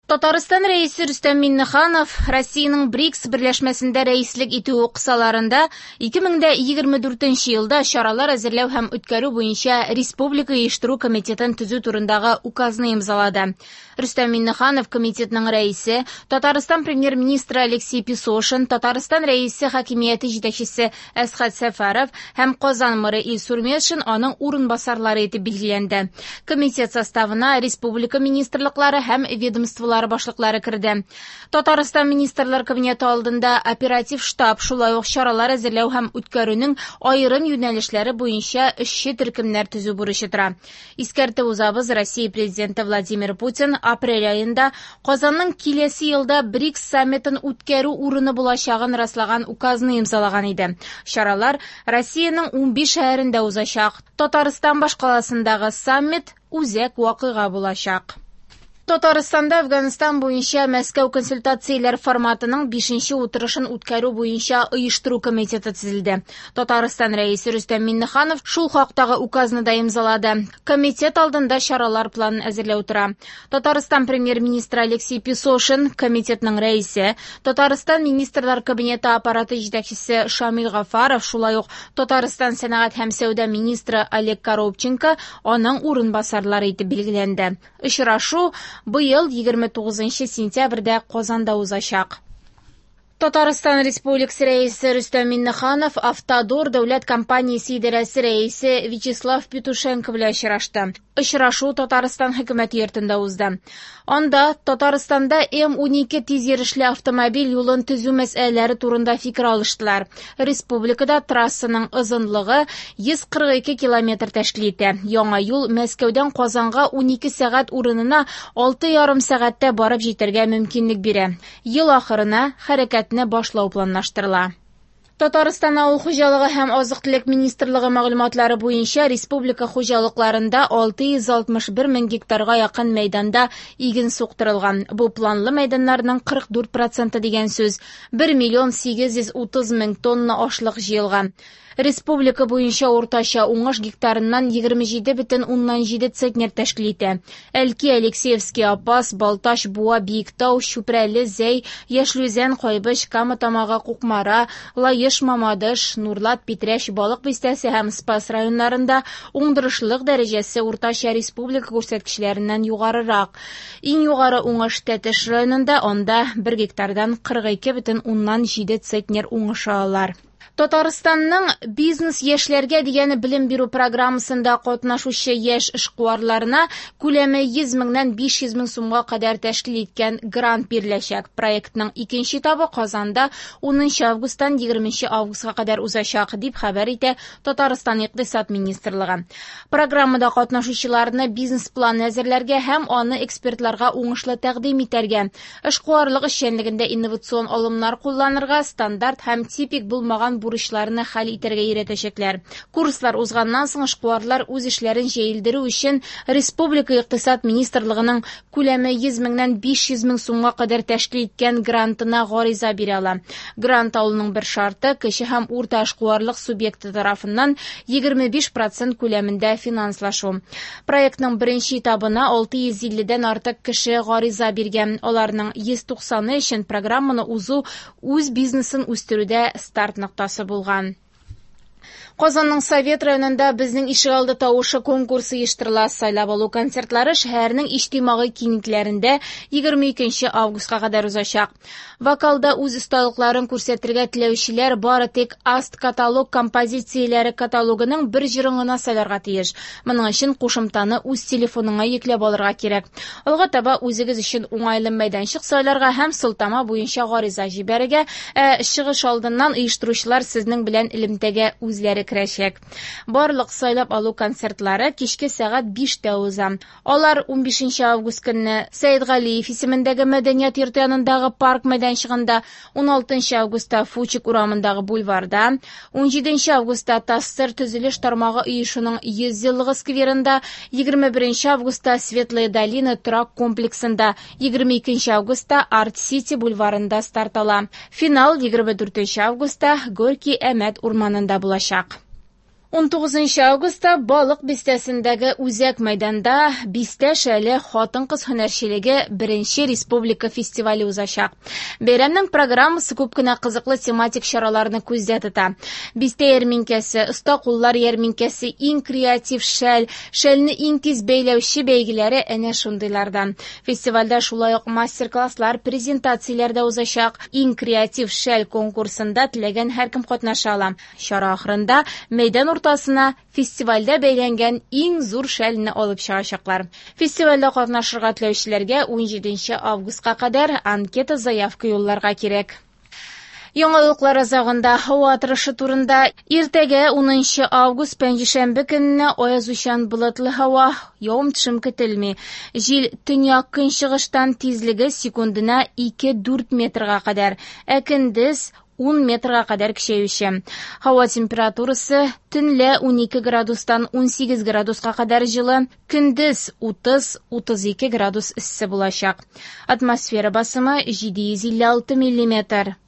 Татарстан Рәисе Рөстәм Миңнеханов Россиянең БРИКС берләшмәсендә рәислек итүе кысаларында 2024 елда чаралар әзерләү һәм үткәрү буенча Республика оештыру комитетын төзү турындагы указны имзалады. Рөстәм Миңнеханов комитетның рәисе, Татарстан премьер-министры Алексей Песошин, Татарстан Рәисе хакимияте җитәкчесе Әсхәт Сәфәров һәм Казан мэры Илсур Метшин аның урынбасарлары итеп билгеләнде. Комитет составына республика министрлыклары һәм ведомстволары башлыклары керде. Татарстан Министрлар Кабинеты алдында оператив штаб, шулай ук чаралар әзерләү һәм үткәрүнең аерым юнәлешләре буенча эшче төркемнәр төзү бурычы тора. Искәртеп узабыз, Россия Президенты Владимир Путин апрель аенда Казанның киләсе елда БРИКС саммитын үткәрү урыны булачагын раслаган указны имзалаган иде. Чаралар Россиянең 15 шәһәрендә узачак. Татарстан башкаласындагы саммит үзәк вакыйга булачак. Татарстанда Афганистан буенча Мәскәү консультацияләр форматының 5нче утырышын үткәрү буенча оештыру комитеты төзелде. Татарстан Рәисе Рөстәм Миңнеханов шул хактагы указны да имзалады. Комитет алдында чаралар планын әзерләү тора. Татарстан премьер-министры Алексей Песошин, комитетның рәисе, Татарстан Министрлар Кабинеты аппараты җитәкчесе Шамил Гафаров, шулай ук Татарстан сәнәгать һәм сәүдә министры Олег Коробченко аның урынбасарлары итеп билгеләнде. Очрашу быел 29 сентябрьдә Казанда узачак. Татарстан Республикасы Рәисе Рөстәм Миңнеханов Автодор дәүләт компаниясе идарәсе рәисе Вячеслав Петушенко белән очрашты. Очрашу Татарстан хөкүмәте йортында узды. Анда Татарстанда М12 тиз йөрешле автомобиль юлын төзү мәсьәләләре турында фикер алыштылар. Республикада трассаның озынлыгы 142 километр тәшкил итә. Яңа юл Мәскәүдән Казанга 12 сәгать урынына 6,5 сәгатьтә барып җитәргә мөмкинлек бирә. Ел ахырына хәрәкәтне башлау планлаштырыла. Татарстан авыл хуҗалыгы һәм азык-төлек министрлыгы мәгълүматлары буенча республика хуҗалыкларында 661 мең гектарга якын мәйданда иген суктырылган. Бу планлы мәйданнарның 44% дигән сүз. 1 миллион 830 мең тонна ашлык җыелган. Республика буенча уртача уңыш гектарыннан 27,7 центнер тәшкил итә. Әлки, Алексеевский, Апас, Балтач, Буа, Биектау, Чүпрәле, Зәй, Яшел Үзән, Кайбыч, Кама Тамагы, Кукмара, Лаеш, Мамадыш, Нурлат, Питрәч, Балык Бистәсе һәм Спас районнарында уңдырышлылык дәрәҗәсе уртача республика күрсәткечләреннән югарырак. Иң югары уңыш Тәтеш районында, анда 1 гектардан 42,7 центнер уңыш алалар. Татарстанның бизнес яшьләргә дигән белем бирү программасында катнашучы яшь эшкуарларына күләме 100 меңнән 500 мең сумга кадәр тәшкил иткән грант биреләчәк. Проектның икенче этабы Казанда 10 августтан 20 августка кадәр узачак, дип хәбәр итә Татарстан Икътисад министрлыгы. Программада катнашучыларны бизнес-план әзерләргә һәм аны экспертларга уңышлы тәкъдим итәргә, эшкуарлык эшчәнлегендә инновацион алымнар кулланырга, стандарт һәм типик булмаган бурычларны хәл итәргә өйрәтәчәкләр. Курслар узганнан соң эшкуарлар үз эшләрен җәелдерү өчен Республика Икътисад министрлыгының күләме 100 меңнән 500 мең сумга кадәр тәшкил иткән грантына гариза бирә ала. Грант алуның бер шарты кече һәм урта эшкуарлык субъекты тарафыннан 25% күләмендә финанслашу. Проектның беренче этабына 650-дән артык кеше гариза биргән. Аларның 190-ы өчен программаны узу үз бизнесын үстерүдә старт ноктасы булган. Казанның Совет районында Безнең ишегалды тавышы конкурсы оештырыла. Сайлап алу концертлары шәһәрнең иҗтимагый киңлекләрендә 22 августка кадәр узачак. Вокалда үз осталыкларын күрсәтергә теләүчеләр бары тик Аст каталог композицияләре каталогының бер җырын гына сайларга тиеш. Моның өчен кушымтаны үз телефоныңа йөкләп алырга кирәк. Алга таба үзегез өчен уңайлы мәйданчык сайларга һәм сылтама буенча гариза җибәрергә, ә чыгыш алдыннан оештыручылар сезнең белән элемтәгә үзләре керәчәк. Барлык сайлап алу концертлары кичке сәгать 5-тә уза. Алар 15 август көнне Сәйдгалиев исемендәге мәдәният йорты янындагы парк мәйданчыгында, 16 августта Фучик урамындагы бульварда, 17 августта ТАССР төзелеш тармагы оешуның 100 еллыгы скверында, 21 августта Светлая долина торак комплексында, 22 августта Арт-Сити бульварында старт ала. Финал 24 августта Горький Әмәт урманында булачак. 19 августта Балык Бистәсендәге үзәк мәйданда Бистә шәле хатын-кыз һөнәрчелеге беренче республика фестивале узачак. Бәйрәмнең программасы күп кенә кызыклы тематик чараларны күздә тота. Бистә ярминкәсе, оста куллар ярминкәсе, иң креатив шәл, шәлне иң тиз бәйләүче бәйгеләре әнә шундыйлардан. Фестивальдә шулай ук мастер-класслар, презентацияләр дә узачак. Иң креатив шәл конкурсында теләгән һәркем катнаша ала. Чара ахырында мәйдан уртасына фестивальдә бәйләнгән иң зур шәлне алып чыгачаклар. Фестивальдә катнашырга теләүчеләргә 17 августка кадәр анкета-заявка юлларга кирәк. Яңалыклар азагында һава торышы турында. Иртәгә 10 август пәнҗешәмбе көнне аязучан болытлы һава, явым-төшем көтелми. Җил төньяк көнчыгыштан, тизлеге секундына 2-4 метрга кадәр, ә көндез 10 метрга кадәр көчәюче. Һава температурасы төнлә 12 градустан 18 градуска кадәр җылы, көндез 30-32 градус эссе булачак. Атмосфера басымы 756 миллиметр.